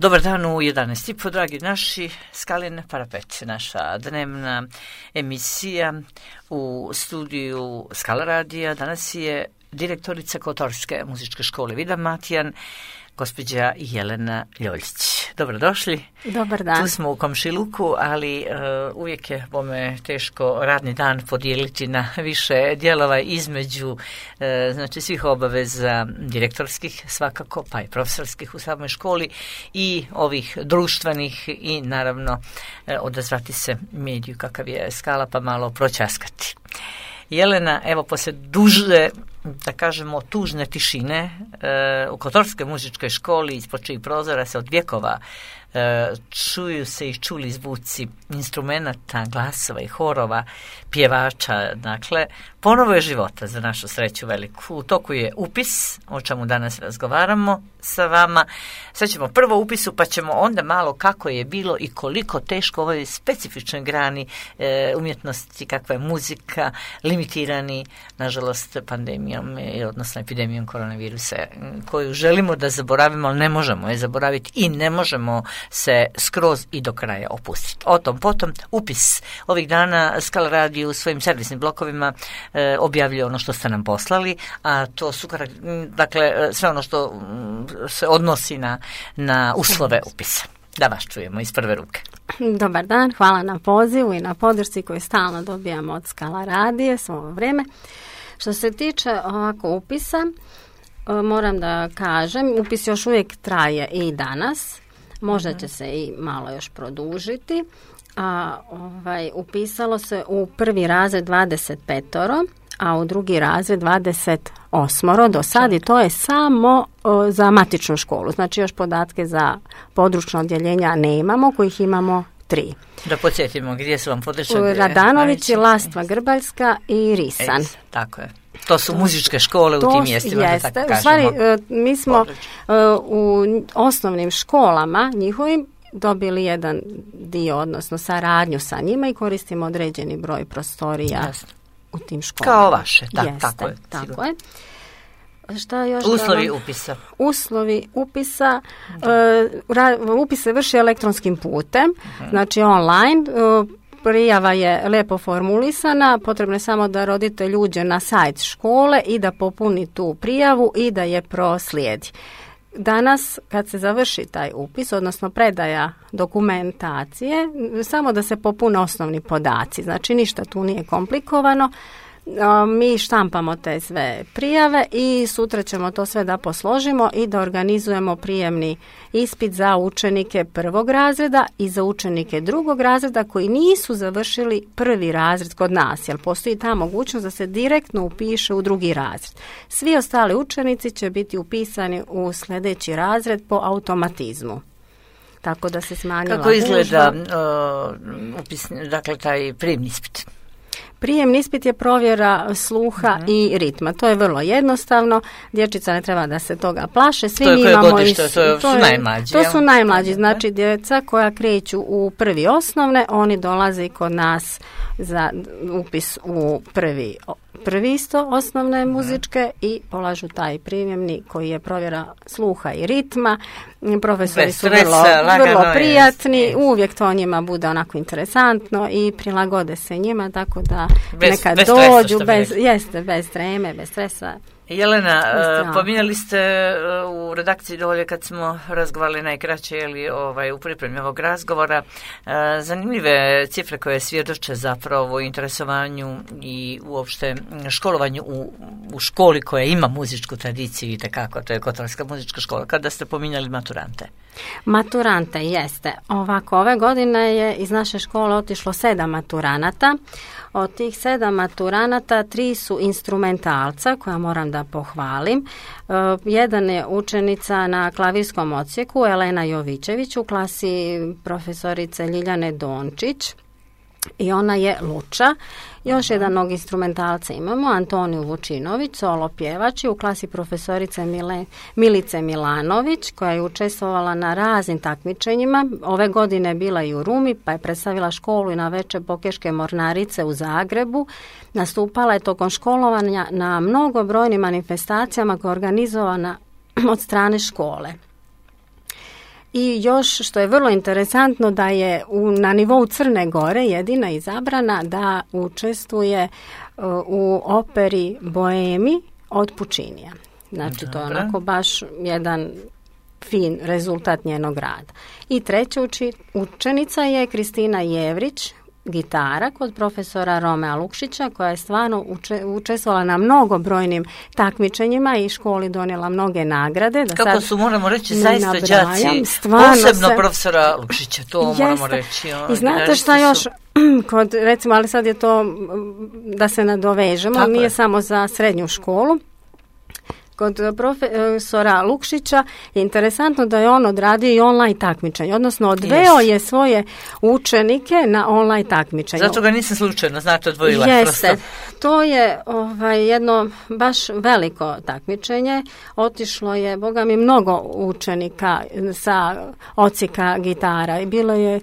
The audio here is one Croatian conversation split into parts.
Dobar dan u 11:30, dragi naši, Skalin parapet, naša dnevna emisija u studiju Skala radija. Danas je direktorica Kotorske muzičke škole Vida Matijan, gospođa Jelena Ljoljić. Dobrodošli. Dobar dan. Tu smo u komšiluku, ali uvijek je bome teško radni dan podijeliti na više dijelova između znači svih obaveza direktorskih svakako, pa i profesorskih u samoj školi i ovih društvenih i naravno odazvati se mediju kakav je Skala pa malo pročaskati. Jelena, evo poslije duže, da kažemo, tužne tišine u Kotorskoj muzičkoj školi ispod čijih prozora se od vjekova čuju se i čuli zvuci instrumenata, glasova i horova, pjevača, dakle, ponovo je života za našu sreću veliku. U toku je upis, o čemu danas razgovaramo sa vama. Sad ćemo prvo upisu, pa ćemo onda malo kako je bilo i koliko teško ovoj specifičnoj grani umjetnosti, kakva je muzika, limitirani, nažalost, pandemijom, odnosno epidemijom koronavirusa, koju želimo da zaboravimo, ali ne možemo je zaboraviti i ne možemo se skroz i do kraja opustiti. O tom potom upis. Ovih dana Skala radio u svojim servisnim blokovima objavljuje ono što ste nam poslali, a to su dakle sve ono što se odnosi na uslove upisa. Da vas čujemo iz prve ruke. Dobar dan, hvala na pozivu i na podršci koju stalno dobijamo od Skala radije svo ovo vrijeme. Što se tiče ovako upisa, moram da kažem, upis još uvijek traje i danas. Možda će se i malo još produžiti. Upisalo se u prvi razred 25, a u drugi razred 28 do sad i to je samo za matičnu školu. Znači još podatke za područno odjeljenja nemamo, kojih imamo 3. Da podsjetimo, gdje su vam područja? Radanović, Lastva Grbaljska i Risan. Tako je. To su muzičke škole u tim mjestima, da tako kažemo. U stvari, mi smo u osnovnim školama njihovim dobili jedan dio, odnosno saradnju sa njima i koristimo određeni broj prostorija. Jasno. U tim školama. Kao vaše, tako je. Tako je. Šta još? Uslovi upisa. Uslovi upisa. Upis se vrši elektronskim putem, znači online. Prijava je lijepo formulisana, potrebno je samo da roditelj uđe na sajt škole i da popuni tu prijavu i da je proslijedi. Danas, kad se završi taj upis, odnosno predaja dokumentacije, samo da se popune osnovni podaci, znači ništa tu nije komplikovano. Mi štampamo te sve prijave i sutra ćemo to sve da posložimo i da organizujemo prijemni ispit za učenike prvog razreda i za učenike drugog razreda koji nisu završili prvi razred kod nas, jer postoji ta mogućnost da se direktno upiše u drugi razred. Svi ostali učenici će biti upisani u sljedeći razred po automatizmu. Tako da se smanjila Kako izgleda dakle, taj prijemni ispit? Prijemni ispit je provjera sluha i ritma. To je vrlo jednostavno. Dječica ne treba da se toga plaše. Svi to je koje imamo godište? To su najmlađi. To su najmlađi. Znači djeca koja kreću u prvi osnovne, oni dolaze kod nas za upis u prvi isto osnovne muzičke i polažu taj prijemni koji je provjera sluha i ritma. Profesori su vrlo prijatni, uvijek to njima bude onako interesantno i prilagode se njima, tako da neka dođu bez treme, bez stresa. Jelena, pominjali ste u redakciji dolje kad smo razgovarali najkraće u pripremi ovog razgovora zanimljive cifre koje svjedoče zapravo o interesovanju i uopšte školovanju u školi koja ima muzičku tradiciju i tekako, to je Kotorska muzička škola, kada ste pominjali maturante. Maturante, jeste. Ovako, ove godine je iz naše škole otišlo 7 maturanata. Od tih 7 maturanata 3 su instrumentalca, koja moram da pohvalim. Jedan je učenica na klavirskom odsjeku, Elena Jovićević, u klasi profesorice Ljiljane Dončić. I ona je Luča. Još jednog instrumentalca imamo, Antoniju Vučinović, solo pjevač, u klasi profesorice Milice Milanović, koja je učestvovala na raznim takmičenjima. Ove godine bila i u Rumi, pa je predstavila školu i na Veče Bokeške mornarice u Zagrebu. Nastupala je tokom školovanja na mnogobrojnim manifestacijama koja je organizovana od strane škole. I još što je vrlo interesantno da je na nivou Crne Gore jedina izabrana da učestvuje u operi Boemi od Pučinija. Znači to je onako baš jedan fin rezultat njenog rada. I treća učenica je Kristina Jevrić, gitara kod profesora Romea Lukšića, koja je stvarno učestvovala na mnogobrojnim takmičenjima i školi donijela mnoge nagrade. Da kako su, moramo reći, zaista đaci, posebno profesora Lukšića, to moramo reći. I znate šta još, kod, recimo, ali sad je to da se nadovežemo, tako nije samo za srednju školu. Kod profesora Lukšića je interesantno da je on odradio i online takmičenje, odnosno odveo je svoje učenike na online takmičenje. Zato ga nisam slučajno, znate, odvojila. Jeste, to je jedno baš veliko takmičenje. Otišlo je, boga mi, mnogo učenika sa odsjeka gitara i bilo je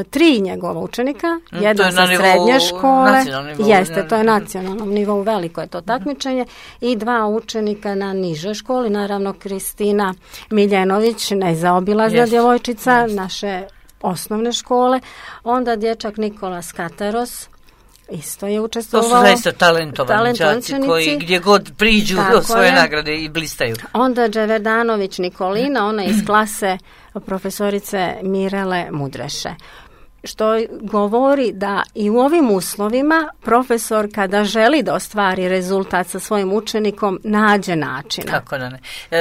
tri njegova učenika, jedan sa srednje škole. Jeste, to je nacionalnom nivou, veliko je to takmičenje, i 2 učenika na nižoj školi, naravno Kristina Miljenović, nezaobilazna djevojčica naše osnovne škole, onda dječak Nikola Skateros, isto je učestvovao. To su zaista talentovani đaci koji gdje god priđu do svoje nagrade i blistaju. Onda Dževerdanović Nikolina, ona iz klase profesorice Mirele Mudreše. Što govori da i u ovim uslovima profesor kada želi da ostvari rezultat sa svojim učenikom nađe načina. Kako da ne.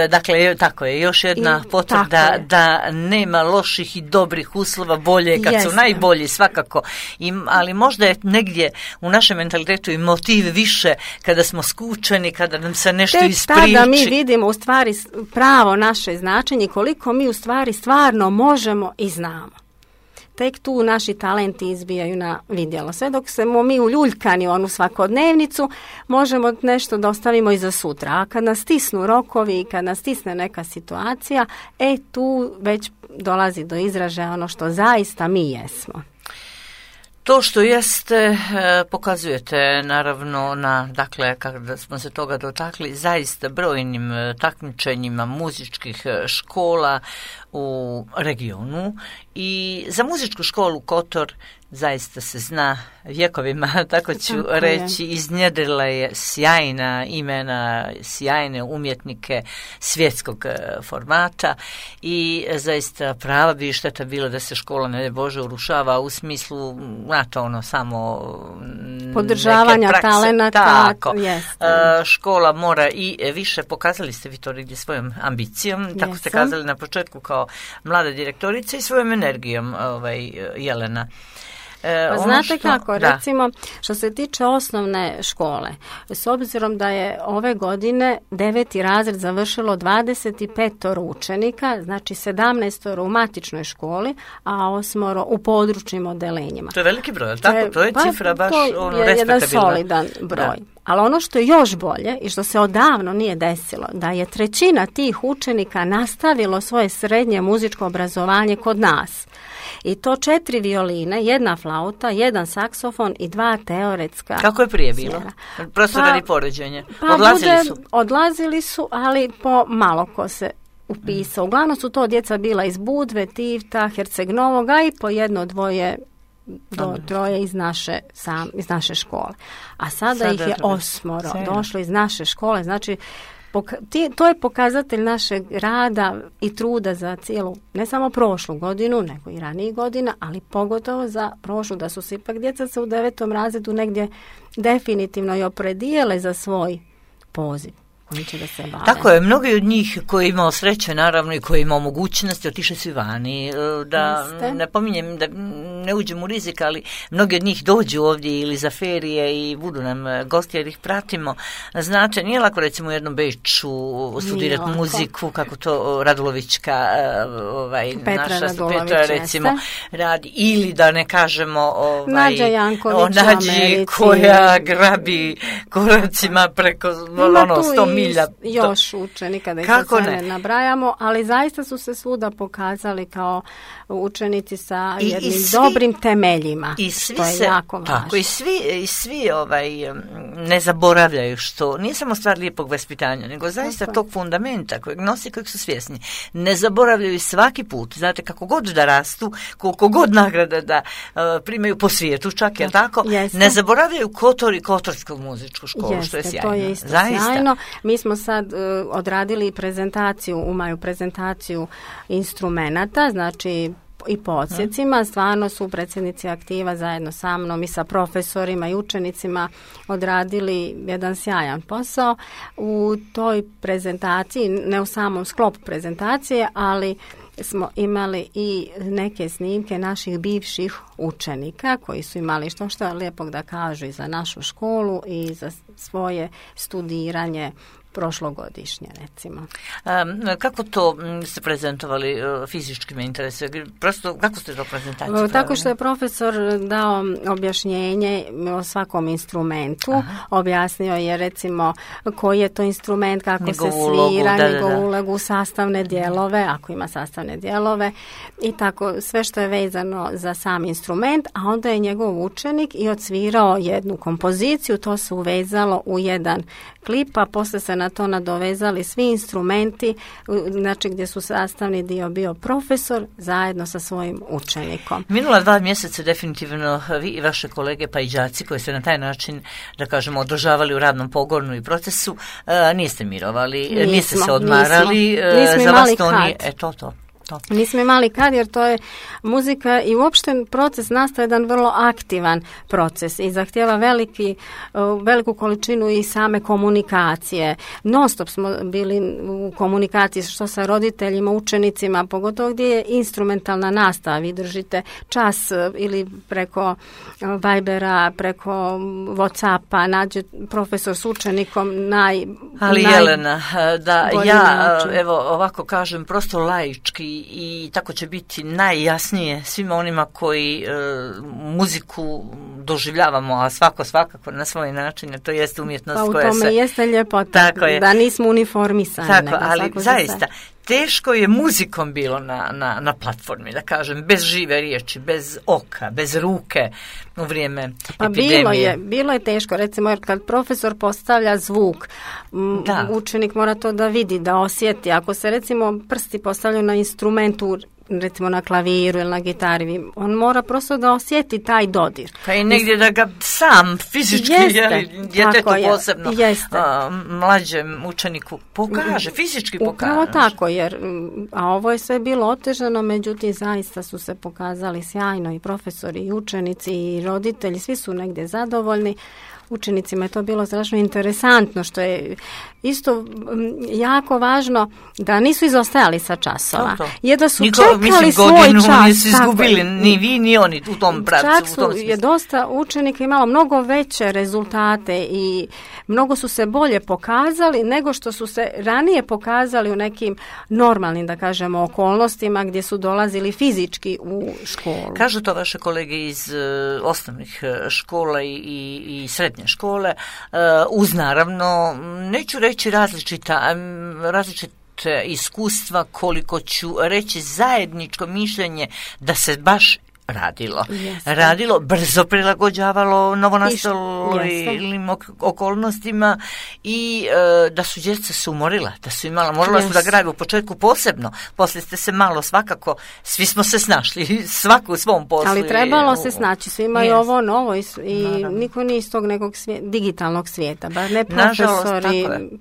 Dakle, tako je, još jedna potvrda da nema loših i dobrih uslova, bolje kad su najbolji svakako. Ali možda je negdje u našem mentalitetu i motiv više kada smo skučeni, kada nam se nešto ispriči. Tek tada mi vidimo u stvari pravo naše značenje, koliko mi u stvari stvarno možemo i znamo. Tek tu naši talenti izbijaju na vidjelo. Sve dok smo mi uljuljkani u onu svakodnevnicu, možemo nešto da ostavimo i za sutra. A kad nas stisnu rokovi i kad nas stisne neka situacija, tu već dolazi do izražaja ono što zaista mi jesmo. To što jeste, pokazujete naravno dakle, kada smo se toga dotakli, zaista brojnim takmičenjima muzičkih škola u regionu i za muzičku školu Kotor zaista se zna vjekovima, tako ću reći, iznjedrila je sjajna imena, sjajne umjetnike svjetskog formata i zaista prava bi šteta bila da se škola, ne Bože, urušava u smislu, znate, samo podržavanja talenata. Tako. Škola mora i više, pokazali ste vi to negdje svojom ambicijom, tako ste kazali na početku kao mlada direktorica i svojom energijom, Jelena. Znate kako, recimo, što se tiče osnovne škole, s obzirom da je ove godine 9. razred završilo 25 učenika, znači 17 u matičnoj školi, a 8 u područnim odelenjima. To je veliki broj, ali tako? To je cifra baš respektabilna. To je jedan solidan broj. Ali ono što je još bolje i što se odavno nije desilo, da je 1/3 tih učenika nastavilo svoje srednje muzičko obrazovanje kod nas. I to 4 violine, 1 flauta, 1 saksofon i 2 teoretska. Kako je prije bilo? Prosto radi poređenja. Odlazili su, ali po malo ko se upisao. Uglavnom su to djeca bila iz Budve, Tivta, Herceg Novoga i po 1-2 do 3 iz naše škole. A sada ih je 8 došlo iz naše škole, znači to je pokazatelj našeg rada i truda za cijelu, ne samo prošlu godinu, nego i ranijih godina, ali pogotovo za prošlu, da su se ipak djeca u 9. razredu negdje definitivno i opredijele za svoj poziv. Da se bave. Tako je, mnogi od njih koji imao sreće, naravno, i koji imao mogućnosti, otišli su vani. Da ne pominjem, da ne uđem u rizik, ali mnogi od njih dođu ovdje ili za ferije i budu nam gosti jer ih pratimo. Znate, nije lako recimo u jednom Beču studirati muziku, kako to Radulovićka, naša Petra recimo radi, ili da ne kažemo Nađa Janković o Nađi koja grabi koracima preko 100 milja. Još učenika da ih sad ne nabrajamo, ali zaista su se svuda pokazali kao učenici sa jednim dobrim dobrim temeljima, i što je jako važno. Tako, i svi ne zaboravljaju, što nije samo stvar lijepog vaspitanja, nego zaista tog fundamenta kojeg nosi, kojeg su svjesni. Ne zaboravljaju svaki put, znate, kako god da rastu, koliko god nagrada da primaju po svijetu, čak je tako, ne zaboravljaju Kotor i Kotorsku muzičku školu, što je sjajno. To je isto sjajno. Mi smo sad odradili prezentaciju, prezentaciju instrumenata, znači i po odsjecima. Stvarno su predsjednici aktiva zajedno sa mnom i sa profesorima i učenicima odradili jedan sjajan posao. U toj prezentaciji, ne u samom sklopu prezentacije, ali smo imali i neke snimke naših bivših učenika koji su imali što lijepog da kažu i za našu školu i za svoje studiranje prošlogodišnje, recimo. Kako to ste prezentovali, fizički me interesuje? Prosto, kako ste to prezentaciju pravili? Tako što je profesor dao objašnjenje o svakom instrumentu. Objasnio je, recimo, koji je to instrument, kako se svira, njegovu ulogu, sastavne dijelove, ako ima sastavne dijelove, i tako, sve što je vezano za sam instrument, a onda je njegov učenik i odsvirao jednu kompoziciju, to se uvezalo u jedan klip, a posle se na to nadovezali svi instrumenti, znači gdje su sastavni dio bio profesor zajedno sa svojim učenikom. Minula 2 mjeseca definitivno vi i vaše kolege pa i đaci koji ste na taj način, da kažemo, održavali u radnom pogonu i procesu, niste mirovali, niste se odmarali. Nismo za imali vas to kad. nije, to. Nismo imali kad, jer to je muzika i uopšte proces nastaje jedan vrlo aktivan proces i zahtjeva veliku količinu i same komunikacije. Non stop smo bili u komunikaciji što sa roditeljima, učenicima, pogotovo gdje je instrumentalna nastava. Vi držite čas ili preko Vibera, preko Whatsappa, nađe profesor s učenikom Ali Jelena, da ja evo ovako kažem prosto laički i tako će biti najjasnije svima onima koji muziku doživljavamo, a svakako na svoj način, jer to jeste umjetnost koja se... Pa u tome jeste ljepota, da nismo uniformisani. Tako, ali zaista, teško je muzikom bilo na platformi, da kažem, bez žive riječi, bez oka, bez ruke u vrijeme epidemije. Bilo je teško, recimo, jer kad profesor postavlja zvuk, učenik mora to da vidi, da osjeti. Ako se, recimo, prsti postavljaju na instrumentu, recimo na klaviru ili na gitari, on mora prosto da osjeti taj dodir. Pa i negdje da ga sam fizički, djetetu posebno, mlađem učeniku pokaže, fizički pokaže. Upravo tako, a ovo je sve bilo otežano, međutim zaista su se pokazali sjajno i profesori i učenici i roditelji, svi su negdje zadovoljni. Učenicima je to bilo strašno interesantno, što je isto jako važno da nisu izostajali sa časova. Jer da su čekali svoj čas. Nisu izgubili ni vi ni oni u tom pravcu. Čak je dosta učenika imalo mnogo veće rezultate i mnogo su se bolje pokazali nego što su se ranije pokazali u nekim normalnim, da kažemo, okolnostima gdje su dolazili fizički u školu. Kažu to vaše kolege iz osnovnih škola i srednje škole, uz naravno, neću reći različite iskustva, koliko ću reći zajedničko mišljenje da se baš radilo, brzo prilagođavalo novonastalim okolnostima i da su djeca se umorila, da su imala, morala su da graju u početku posebno, poslije ste se malo svakako, svi smo se snašli, svako u svom poslu. Ali trebalo se snaći, svi imaju ovo novo i niko nije iz tog nekog digitalnog svijeta, bar ne profesori. Nažalost,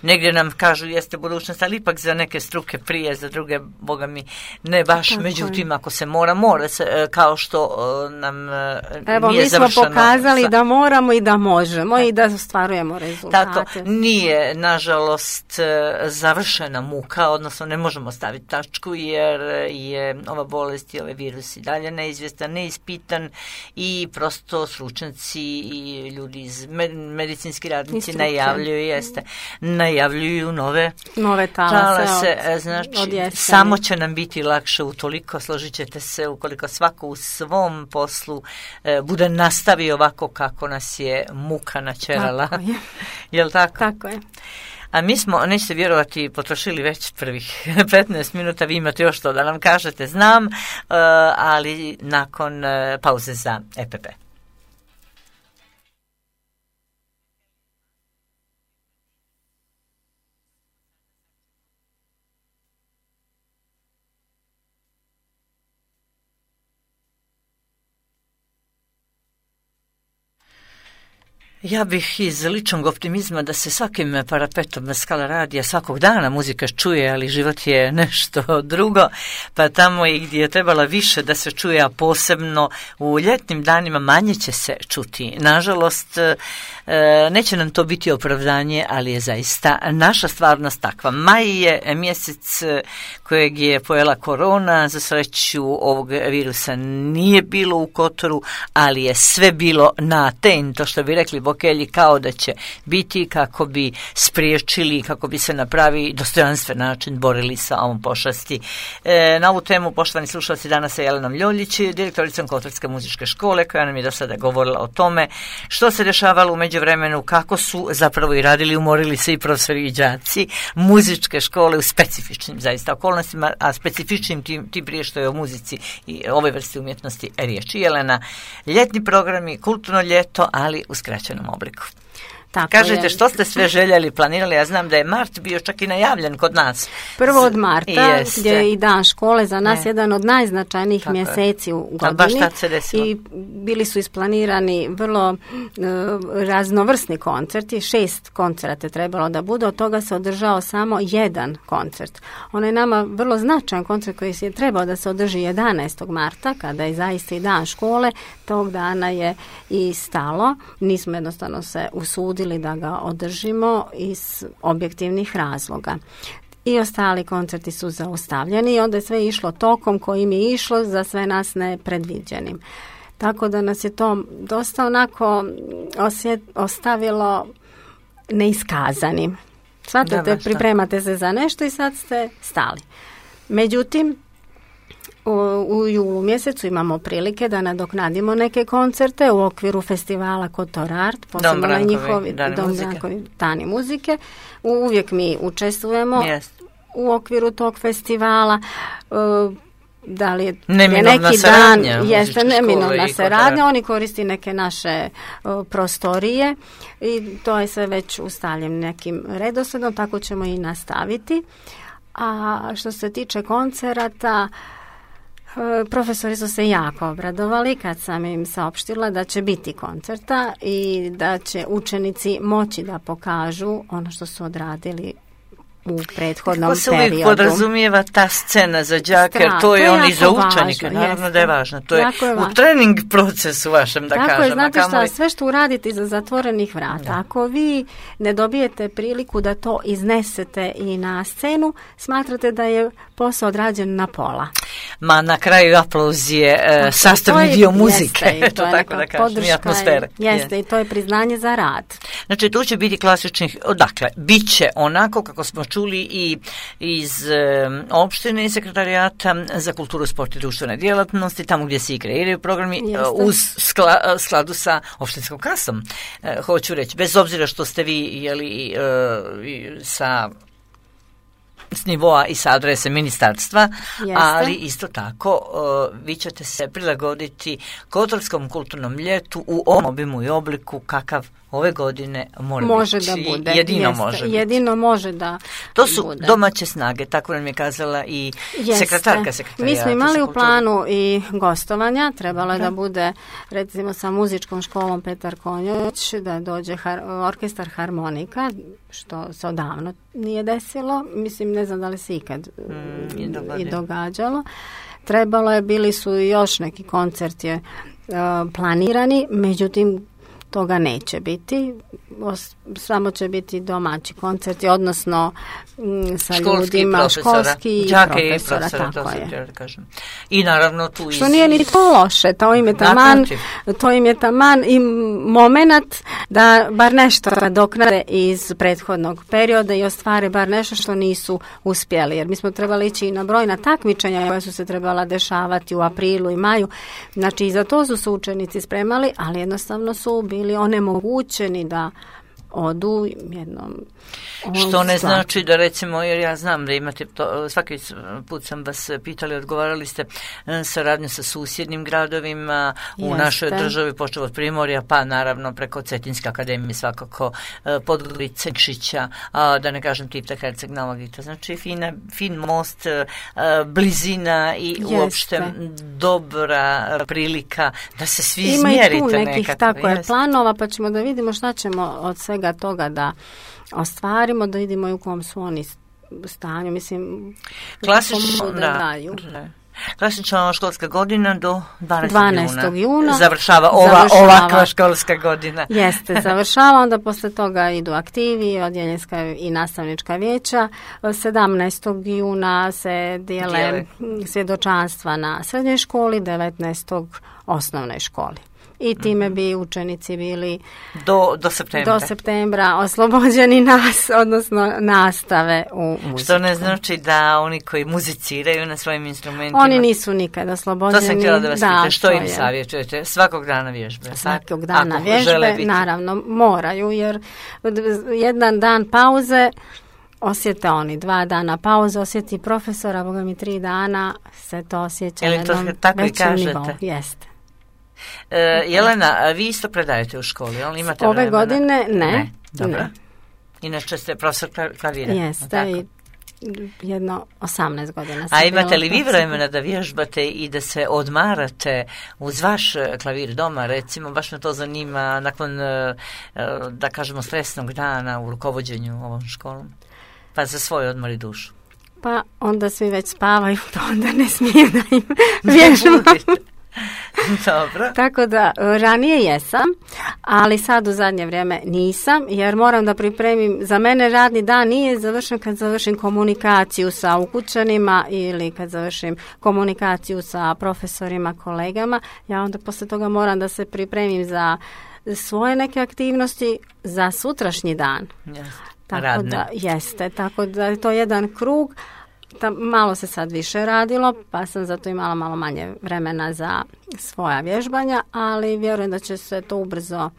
negdje nam kažu jeste budućnost, ali ipak za neke struke prije, za druge, boga mi, ne baš, međutim, ako se mora se, kao što nam nije završeno. Mi smo pokazali da moramo i da možemo i da ostvarujemo rezultate. Tako, nije, nažalost, završena muka, odnosno ne možemo staviti tačku jer je ova bolest i ovaj virus i dalje neizvjestan, neispitan i prosto stručnjaci i ljudi iz medicinski radnici najavljuju nove talase. Znači, samo će nam biti lakše utoliko, složit ćete se, ukoliko svako u svom poslu bude nastavio ovako kako nas je muka načerala. Tako je. Jel tako? Tako je. A mi smo, nećete vjerovati, potrošili već prvih 15 minuta, vi imate još to da nam kažete, znam, ali nakon pauze za EPP. Ja bih iz ličnog optimizma da se svakim parapetom Skala radija svakog dana muzika čuje, ali život je nešto drugo, pa tamo i gdje je trebala više da se čuje, a posebno u ljetnim danima manje će se čuti. Nažalost, neće nam to biti opravdanje, ali je zaista naša stvarnost takva. Maj je mjesec kojeg je pojela korona, za sreću ovog virusa nije bilo u Kotoru, ali je sve bilo na ten, to što bi rekli Bokelji, kao da će biti kako bi spriječili, kako bi se na pravi dostojanstven način borili sa ovom pošasti. Na ovu temu, poštovani slušalci, danas je Jelena Ljoljić, direktoricom Kotorske muzičke škole, koja nam je do sada govorila o tome što se dešavalo u međuvremenu, kako su zapravo i radili, umorili se i profesori i đaci muzičke škole u specifičnim zaista okolnostima, a specifičnim tim prije što je o muzici i ove vrste umjetnosti riječi. Jelena, ljetni programi, kulturno ljeto, ali u skraćenom obliku. Tako kažete je. Što ste sve željeli, planirali? Ja znam da je mart bio čak i najavljen kod nas. Prvo od marta, gdje je i dan škole za nas jedan od najznačajnijih tako mjeseci u godini. Baš tad se desilo. I bili su isplanirani vrlo raznovrsni koncerti. 6 koncerata je trebalo da bude, od toga se održao samo jedan koncert. On je nama vrlo značajan koncert koji je trebao da se održi 11. marta, kada je zaista i dan škole. Tog dana je i stalo. Nismo jednostavno se usudili da ga održimo iz objektivnih razloga. I ostali koncerti su zaustavljeni i onda je sve išlo tokom kojim je išlo, za sve nas nepredviđenim. Tako da nas je to dosta onako ostavilo neiskazanim. Shvatate, pripremate se za nešto i sad ste stali. Međutim, u julu mjesecu imamo prilike da nadoknadimo neke koncerte u okviru festivala Kotor Art, posebno njihovi dani muzike. Uvijek mi učestvujemo u okviru tog festivala. Da li je neki dan, jeste neminovna saradnja, oni koristi neke naše prostorije i to je sve već ustaljen nekim redosledom, tako ćemo i nastaviti. A što se tiče koncerata, profesori su se jako obradovali kad sam im saopštila da će biti koncerta i da će učenici moći da pokažu ono što su odradili u prethodnom periodu. Kako se uvijek podrazumijeva ta scena za đake, jer to je on i za učenika, naravno da je važno. To je u trening procesu vašem, da kažem. Tako je, znate šta, sve što uradite iza zatvorenih vrata, ako vi ne dobijete priliku da to iznesete i na scenu, smatrate da je posao odrađen na pola. Ma na kraju aplauz je sastavni dio muzike, to tako da kažem, i atmosfere. Jeste, i to je priznanje za rad. Znači, tu će biti klasičnih, dakle, bit će onako kako smo čuli i iz opštine i sekretarijata za kulturu, sport i društvene djelatnosti, tamo gdje se i kreiraju programi, uz skladu sa opštinskom kasom. Hoću reći, bez obzira što ste vi s nivoa i sa adrese ministarstva, ali isto tako vi ćete se prilagoditi Kotorskom kulturnom ljetu u ovom obimu i obliku kakav ove godine može da bude. Jedino može da to su bude. Domaće snage, tako nam je kazala i sekretarka sekretarijata. Mi smo imali u planu i gostovanja, trebalo je da bude recimo sa muzičkom školom Petar Konjović, da dođe orkestar harmonika, što se odavno nije desilo. Mislim, ne znam da li se ikad i događalo. Trebalo je, bili su još neki koncerti planirani, međutim toga neće biti, samo će biti domaći koncerti, odnosno sa ljudima, školski i profesora, tako je. I naravno tu što nije ni to loše, to im je taman i moment da bar nešto nadoknade iz prethodnog perioda i ostvare bar nešto što nisu uspjeli, jer mi smo trebali ići i na brojna takmičenja koja su se trebala dešavati u aprilu i maju, znači i za to su se učenici spremali, ali jednostavno su bili onemogućeni da odu jednom. Što ne znači da recimo, jer ja znam da imate to, svaki put sam vas pitali, odgovarali ste saradnju sa susjednim gradovima u našoj državi, počeo od Primorja, pa naravno preko Cetinske akademije svakako, Podgorice, Nikšića, da ne kažem Tipta, Herceg, Nova Gita. Znači fin most, blizina i uopšte dobra prilika da se svi izmjerite. Ima i tu nekih tako je planova, pa ćemo da vidimo šta ćemo od svega toga da ostvarimo, da vidimo i u kom su oni stanju. Mislim, klasična školska godina do 12. juna. Završava ovakva školska godina. Jeste, završava, onda posle toga idu aktivi, odjeljenska i nastavnička vijeća. 17. juna se dijele svjedočanstva na srednjoj školi, 19. osnovnoj školi. I time bi učenici bili do septembra oslobođeni odnosno nastave u muziku. Što ne znači da oni koji muziciraju na svojim instrumentima... Oni nisu nikad oslobođeni. To sam htjela da vas pitam, što im savjetujete? Svakog dana vježbe? Svakog dana vježbe, naravno, moraju, jer jedan dan pauze osjete oni, 2 dana pauze, osjeti profesora, boga mi 3 dana se to osjeća na jednom većem nivou. Jeste. Jelena, vi isto predajete u školi, ali imate ove vremena? Godine ne. Dobro. Inače ste profesor klavira. Jeste, i jedno 18 godina. A imate li vi vremena da vježbate i da se odmarate uz vaš klavir doma, recimo, baš me to zanima nakon, da kažemo, stresnog dana u rukovođenju ovom školom, pa za svoj odmor i dušu? Pa onda svi već spavaju, to onda ne smije da im vježbam. Dobro. Tako da ranije jesam, ali sad u zadnje vrijeme nisam, jer moram da pripremim, za mene radni dan nije završen kad završim komunikaciju sa ukućanima ili kad završim komunikaciju sa profesorima, kolegama. Ja onda posle toga moram da se pripremim za svoje neke aktivnosti za sutrašnji dan. Tako da je to jedan krug. Malo se sad više radilo, pa sam zato imala malo manje vremena za svoja vježbanja, ali vjerujem da će se to ubrzo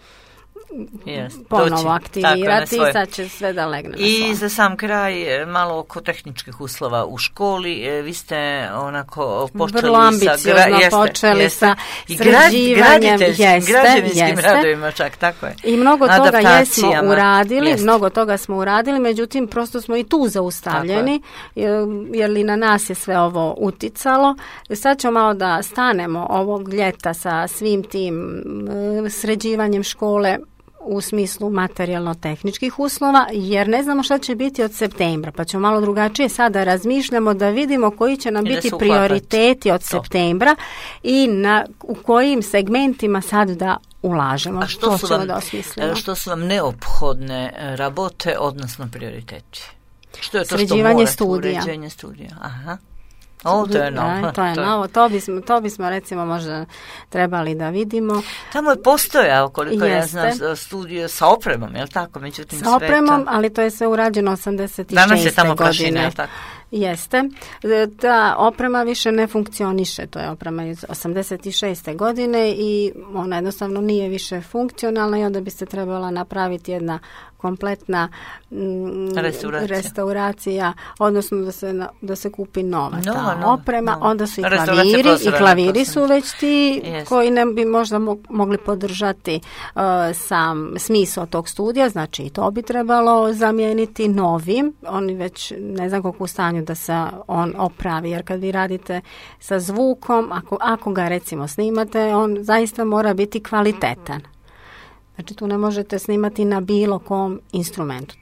ponovo aktivirati i sad će sve da legne na svoje. I za sam kraj, malo oko tehničkih uslova u školi, vi ste onako počeli vrlo ambiciozno počeli sa sređivanjem, građevinskim radovima čak, tako je. I mnogo toga smo uradili, međutim prosto smo i tu zaustavljeni, jer li na nas je sve ovo uticalo. Sad ćemo malo da stanemo ovog ljeta sa svim tim sređivanjem škole u smislu materijalno-tehničkih uslova, jer ne znamo šta će biti od septembra, pa ćemo malo drugačije sada razmišljamo da vidimo koji će nam biti prioriteti od septembra i u kojim segmentima sad da ulažemo. A što su vam neophodne rabote, odnosno prioriteti? Što je to sređivanje što morate, uređenje studija? Aha. To je novo. To bismo recimo možda trebali da vidimo. Tamo je postojao, koliko ja znam, studio sa opremom, je li tako? Međutim, sa opremom, ali to je sve urađeno 86. Danas je tamo prašina, je li tako? Jeste. Ta oprema više ne funkcioniše. To je oprema iz 86. godine i ona jednostavno nije više funkcionalna i onda bi se trebala napraviti jedna kompletna restauracija, odnosno da se kupi nova oprema. Onda su i klaviri su već ti koji ne bi možda mogli podržati sam smisao tog studija, znači i to bi trebalo zamijeniti novim. Oni već ne znam koliko u stanju da se on opravi, jer kad vi radite sa zvukom, ako ga recimo snimate, on zaista mora biti kvalitetan. Znači tu ne možete snimati na bilo kom instrumentu.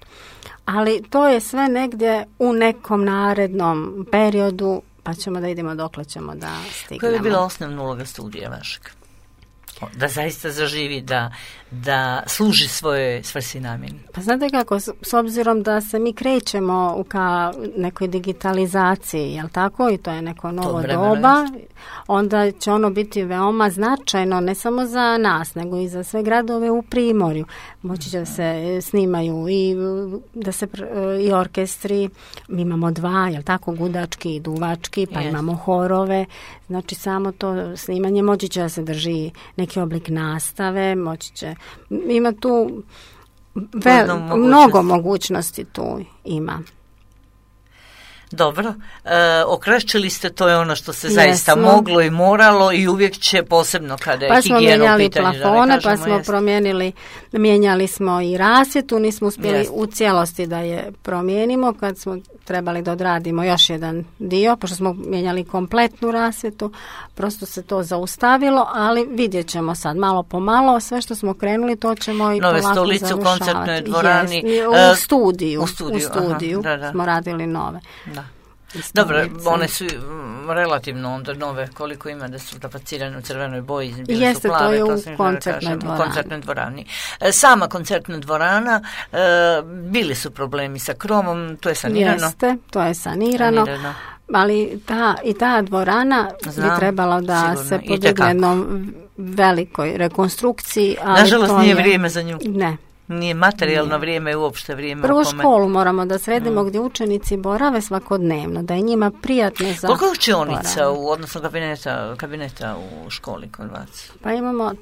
Ali to je sve negdje u nekom narednom periodu, pa ćemo da vidimo dokle ćemo da stignemo. Koja je bila osnovna uloga studija vašeg? Da zaista zaživi, da služi svoje svrsi namjeni. Pa znate kako, s obzirom da se mi krećemo ka nekoj digitalizaciji, jel tako, i to je neko novo doba, onda će ono biti veoma značajno, ne samo za nas, nego i za sve gradove u Primorju. Moći će da se snimaju i da se i orkestri, mi imamo 2, jel tako, gudački i duvački, pa imamo horove, znači samo to snimanje, moći će da se drži neki oblik nastave, moći će, ima tu Mnogo mogućnosti tu ima. Dobro, okrešćili ste, to je ono što se zaista moglo i moralo i uvijek će, posebno kada je higijena u pitanju. Plafone, pa smo mijenjali smo i rasvjetu, nismo uspjeli u cijelosti da je promijenimo, kad smo trebali da odradimo još jedan dio, pošto smo mijenjali kompletnu rasvjetu, prosto se to zaustavilo, ali vidjet ćemo sad malo po malo, sve što smo krenuli to ćemo i polako završavati. Nove stolice u koncertnoj dvorani. U studiju smo radili nove. Da. Dobro, one su relativno onda nove, koliko ima da su tapacirane u crvenoj boji, bile su plave, to je u koncertnoj dvorani. Sama koncertna dvorana, bili su problemi sa kromom, to je sanirano. Jeste, to je sanirano. Ali ta dvorana bi trebala da se podigne jednom velikoj rekonstrukciji. Ali nažalost nije vrijeme za nju. Ne. Nije materijalno vrijeme, uopšte vrijeme. Prvo školu moramo da sredimo gdje učenici borave svakodnevno, da je njima prijatno za koliko je učionica odnosno kabineta u školi kod vas? Pa imamo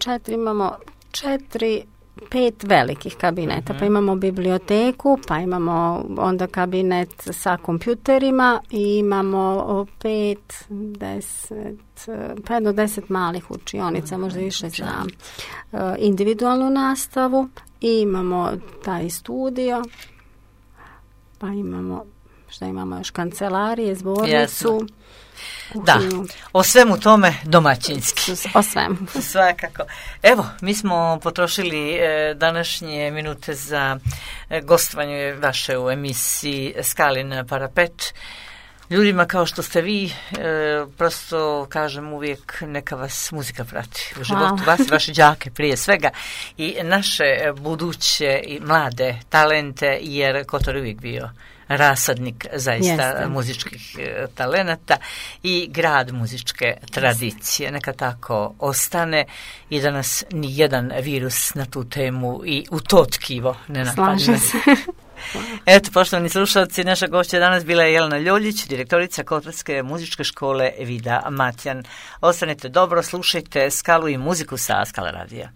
5 velikih kabineta, pa imamo biblioteku, pa imamo onda kabinet sa kompjuterima i imamo 5 do 10 malih učionica, možda više za individualnu nastavu. I imamo taj studio, pa imamo, šta imamo još, kancelarije, zbornicu. Da, o svemu tome domaćinski. O svemu. Svakako. Evo, mi smo potrošili današnje minute za gostovanje vaše u emisiji Skalin parapet. Ljudima kao što ste vi, prosto kažem uvijek, neka vas muzika prati u životu, vas i vaše đake prije svega i naše buduće i mlade talente, jer Kotor je uvijek bio rasadnik zaista muzičkih talenata i grad muzičke tradicije. Neka tako ostane i da nas ni jedan virus na tu temu i u to tkivo ne napadne. Slažem se. Eto, poštovani slušalci, naša gošća danas bila je Jelena Ljoljić, direktorica Kotorske muzičke škole Vida Matjan. Ostanite dobro, slušajte Skalu i muziku sa Skala radija.